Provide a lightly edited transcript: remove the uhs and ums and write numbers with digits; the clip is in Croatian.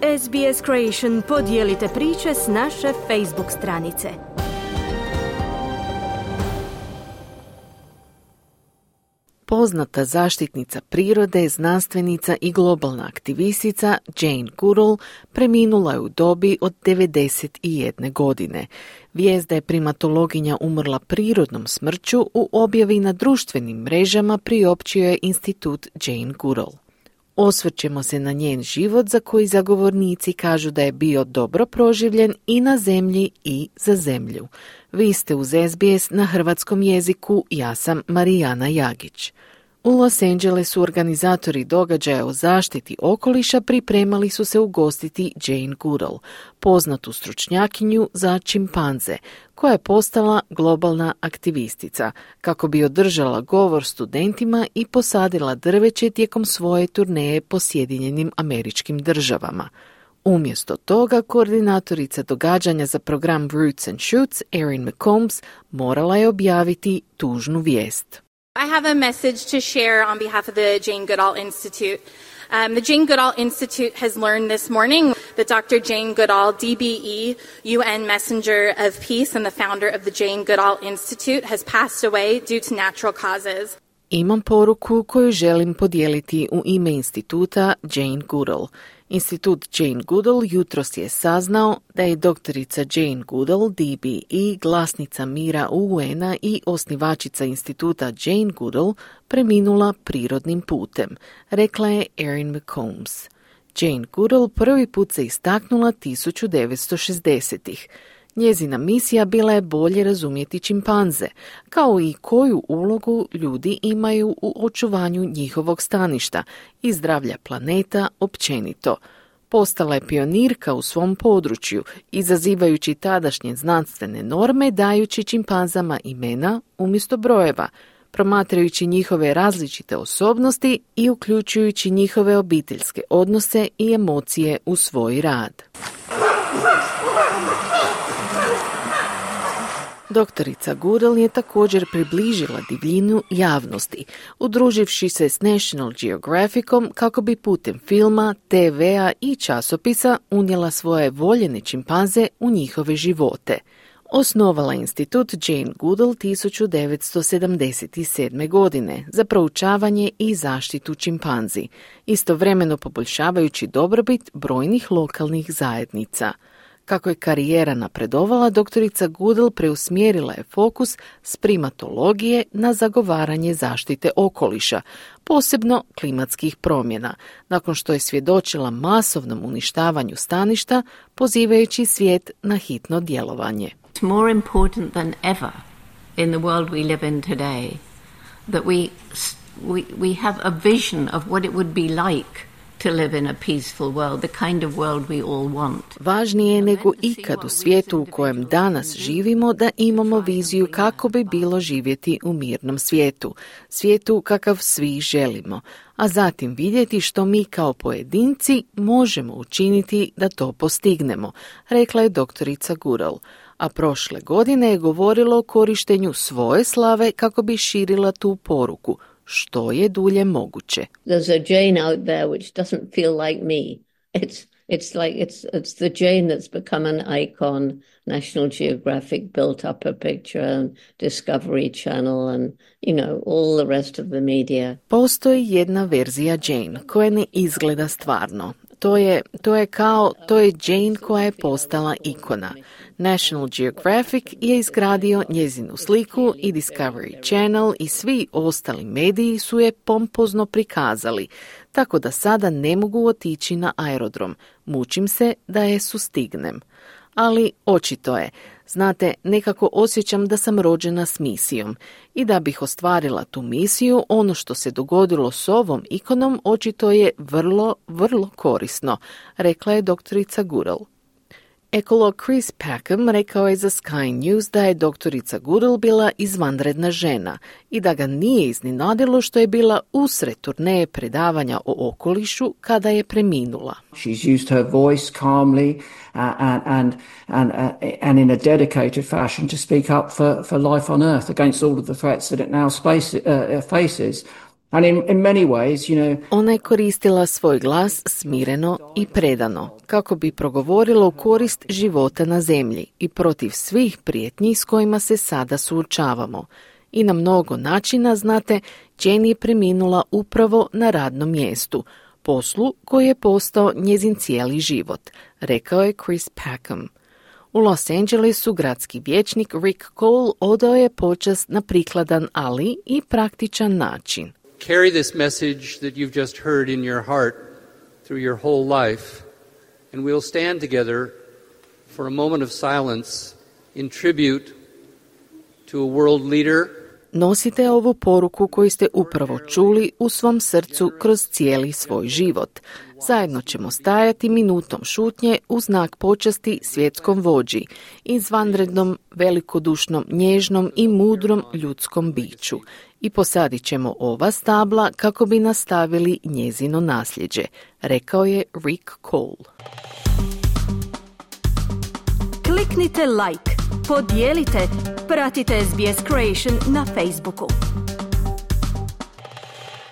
SBS Creation podijelite priče s naše Facebook stranice. Poznata zaštitnica prirode, znanstvenica i globalna aktivistica Jane Goodall preminula je u dobi od 91 godine. Vijest da je primatologinja umrla prirodnom smrću u objavi na društvenim mrežama priopćio je institut Jane Goodall. Osvrćemo se na njen život za koji zagovornici kažu da je bio dobro proživljen i na zemlji i za zemlju. Vi ste uz SBS na hrvatskom jeziku, ja sam Marijana Jagić. U Los Angelesu organizatori događaja o zaštiti okoliša pripremali su se ugostiti Jane Goodall, poznatu stručnjakinju za čimpanze, koja je postala globalna aktivistica, kako bi održala govor studentima i posadila drveće tijekom svoje turneje po Sjedinjenim Američkim Državama. Umjesto toga, koordinatorica događanja za program Roots and Shoots, Erin McCombs, morala je objaviti tužnu vijest. I have a message to share on behalf of the Jane Goodall Institute. The Jane Goodall Institute has learned this morning that Dr. Jane Goodall, DBE, UN Messenger of Peace and the founder of the Jane Goodall Institute, has passed away due to natural causes. Imam poruku koju želim podijeliti u ime instituta Jane Goodall. Institut Jane Goodall jutros je saznao da je doktorica Jane Goodall, DBE, glasnica mira UN-a i osnivačica instituta Jane Goodall, preminula prirodnim putem, rekla je Erin McCombs. Jane Goodall prvi put se istaknula 1960-ih. Njezina misija bila je bolje razumjeti čimpanze, kao i koju ulogu ljudi imaju u očuvanju njihovog staništa i zdravlja planeta općenito. Postala je pionirka u svom području, izazivajući tadašnje znanstvene norme, dajući čimpanzama imena umjesto brojeva, promatrajući njihove različite osobnosti i uključujući njihove obiteljske odnose i emocije u svoj rad. Doktorica Goodall je također približila divljinu javnosti, udruživši se s National Geographicom kako bi putem filma, TV-a i časopisa unijela svoje voljene čimpanze u njihove živote. Osnovala institut Jane Goodall 1977. godine za proučavanje i zaštitu čimpanzi, istovremeno poboljšavajući dobrobit brojnih lokalnih zajednica. Kako je karijera napredovala, doktorica Goodall preusmjerila je fokus s primatologije na zagovaranje zaštite okoliša, posebno klimatskih promjena, nakon što je svjedočila masovnom uništavanju staništa, pozivajući svijet na hitno djelovanje. It's more important than ever in the world we live in today that we have a vision of what it would be like to live in a peaceful world, the kind of world we all want. Važnije je nego ikad u svijetu u kojem danas živimo da imamo viziju kako bi bilo živjeti u mirnom svijetu, svijetu kakav svi želimo, a zatim vidjeti što mi kao pojedinci možemo učiniti da to postignemo, rekla je doktorica Goodall. A prošle godine je govorila o korištenju svoje slave kako bi širila tu poruku, što je dulje moguće. There's a Jane out there which doesn't feel like me. It's the Jane that's become an icon. National Geographic built up a picture and Discovery Channel and, all the rest of the media. Postoji jedna verzija Jane koja ne izgleda stvarno. To je Jane koja je postala ikona. National Geographic je izgradio njezinu sliku i Discovery Channel i svi ostali mediji su je pompozno prikazali, tako da sada ne mogu otići na aerodrom. Mučim se da je sustignem. Ali očito je, znate, nekako osjećam da sam rođena s misijom i da bih ostvarila tu misiju, ono što se dogodilo s ovom ikonom očito je vrlo, vrlo korisno, rekla je doktorica Goodall. Ekolog Chris Packham rekao je za Sky News da je doktorica Goodall bila izvanredna žena i da ga nije iznenadilo što je bila usred turneje predavanja o okolišu kada je preminula. She's used her voice calmly and in a dedicated fashion to speak up for life on Earth against all of the threats that it now faces. And in many ways, Ona je koristila svoj glas smireno i predano, kako bi progovorila u korist života na zemlji i protiv svih prijetnji s kojima se sada suočavamo. I na mnogo načina, znate, Jane je preminula upravo na radnom mjestu, poslu koji je postao njezin cijeli život, rekao je Chris Packham. U Los Angelesu gradski vijećnik Rick Cole odao je počast na prikladan, ali i praktičan način. Carry this message that you've just heard in your heart through your whole life, and we'll stand together for a moment of silence in tribute to a world leader. Nosite ovu poruku koju ste upravo čuli u svom srcu kroz cijeli svoj život. Zajedno ćemo stajati minutom šutnje u znak počasti svjetskom vođi, izvanrednom, velikodušnom, nježnom i mudrom ljudskom biću. I posadit ćemo ova stabla kako bi nastavili njezino nasljeđe, rekao je Rick Cole. Kliknite like, podijelite, pratite SBS Creation na Facebooku.